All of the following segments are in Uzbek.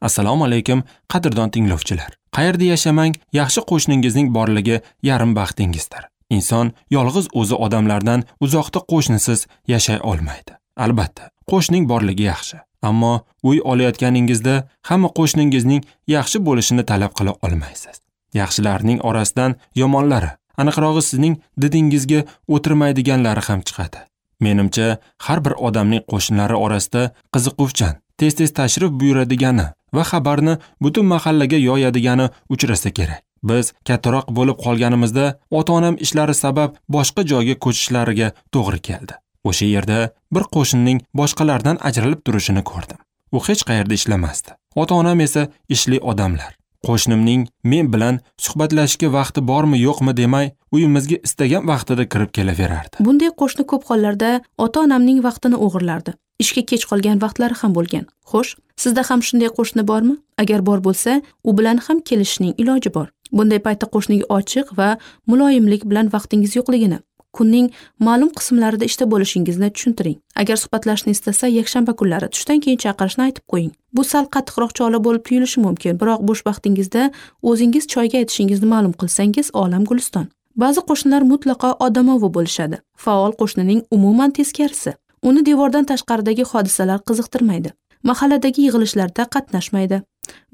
Assalomu alaykum, qadrdon tinglovchilar. Qayerda yashamang, yaxshi qo'shningizning borligi yarim baxtingizdir. Inson yolg'iz o'zi odamlardan uzoqda qo'shnisiz yashay olmaydi. Albatta, qo'shning borligi yaxshi, ammo uy olayotganingizda hamma qo'shningizning yaxshi bo'lishini talab qila olmaysiz. Yaxshilarning orasidan yomonlari, aniqrog'i sizning didingizga o'tirmaydiganlari ham chiqadi. Menimcha, har bir odamning qo'shnilari orasida qiziquvchan, tez-tez tashrif buyuradigani va xabarni butun mahallaga yoyadigani uchrasa kerak. Biz kattaroq bo'lib qolganimizda ota-onam ishlari sabab boshqa joyga ko'chishlariga to'g'ri keldi. O'sha yerda bir qo'shnining boshqalardan ajralib turishini ko'rdim. U hech qayerda ishlamasdi. Ota-onam esa ishli odamlar. Qo'shnimning men bilan suhbatlashishga vaqti bormi yo'qmi demay, uyimizga istagan vaqtida kirib kelaverardi. Bunday qo'shni ko'p hollarda ota-onamning vaqtini o'g'irlardi. Ishga kech qolgan vaqtlari ham bo'lgan. Xo'sh, sizda ham shunday qo'shni bormi? Agar bor bo'lsa, u bilan ham kelishishning iloji bor. Bunday paytda qo'shniga ochiq va muloyimlik bilan vaqtingiz yo'qligini, kunning ma'lum qismlarida ishda bo'lishingizni tushuntiring. Agar suhbatlashishni istasa, yakshanba kunlari tushdan keyin chaqirishni aytib qo'ying. Bu sal qattiqroq chola bo'lib tuyulishi mumkin, biroq bo'sh vaqtingizda o'zingiz choyga aytishingizni ma'lum qilsangiz, olam guliston. Ba'zi qo'shnilar mutlaqo odamovi bo'lishadi. Faol qo'shnining umuman teskarisi. Uni devordan tashqaridagi hodisalar qiziqtirmaydi. Mahalladagi yig'ilishlarda qatnashmaydi.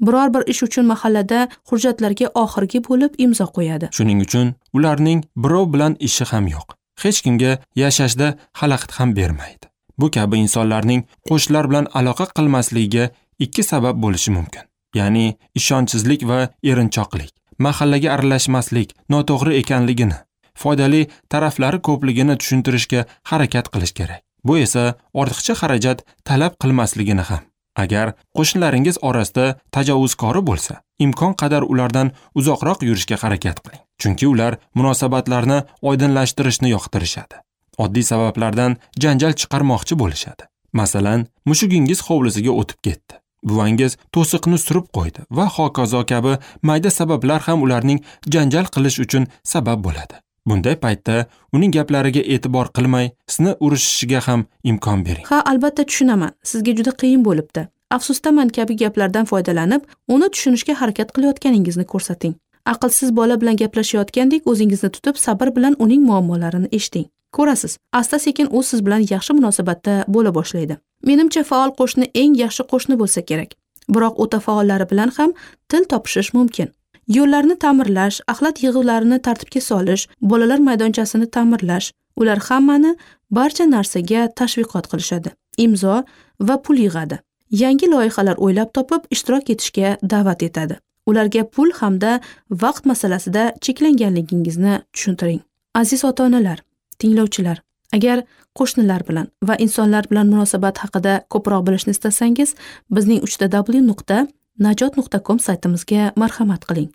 Biror bir ish uchun mahallada hujjatlarga oxirgi bo'lib imzo qo'yadi. Shuning uchun ularning birov bilan ishi ham yo'q. Hech kimga yashashda xalaqit ham bermaydi. Bu kabi insonlarning qo'shnilar bilan aloqa qilmasligiga ikki sabab bo'lishi mumkin. Ya'ni ishonchsizlik va erinchoqlik. Mahallaga aralashmaslik noto'g'ri ekanligini, foydali taraflari ko'pligini tushuntirishga harakat qilish kerak. Bu esa ortiqcha xarajat talab qilmasligini ham. Agar qo'shnilaringiz orasida tajovuzkori bo'lsa, imkon qadar ulardan uzoqroq yurishga harakat qiling. Chunki ular munosabatlarni oydinlashtirishni yoqtirishadi. Oddiy sabablardan janjal chiqarmoqchi bo'lishadi. Masalan, mushugingiz hovlisiga o'tib ketdi. Buvangiz to'siqni surib qo'ydi va hokazo kabi mayda sabablar ham ularning janjal qilish uchun sabab bo'ladi. Bunday paytda uning gaplariga e'tibor qilmay, sizni urishishiga ham imkon bering. Ha, albatta tushunaman. Sizga juda qiyin bo'libdi. Afsusdaman kabi gaplardan foydalanib, uni tushunishga harakat qilayotganingizni ko'rsating. Aqlsiz bola bilan gaplashayotgandek o'zingizni tutib, sabr bilan uning muammolarini eshiting. Ko'rasiz, asta-sekin u siz bilan yaxshi munosabatda bo'la boshlaydi. Menimcha, faol qo'shni eng yaxshi qo'shni bo'lsa kerak. Biroq o'ta faollari bilan ham til topishish mumkin. Yo'llarni ta'mirlash, axlat yig'uvlarini tartibga solish, bolalar maydonchasini ta'mirlash, ular hammani barcha narsaga tashviqot qilishadi. Imzo va pul yig'adi. Yangi loyihalar o'ylab topib, ishtirok etishga da'vat etadi. Ularga pul hamda vaqt masalasida cheklanganligingizni tushuntiring. Aziz ota-onalar, tinglovchilar, agar qo'shnilar bilan va insonlar bilan munosabat haqida ko'proq bilishni istasangiz, bizning 3w.najot.com saytimizga marhamat qiling.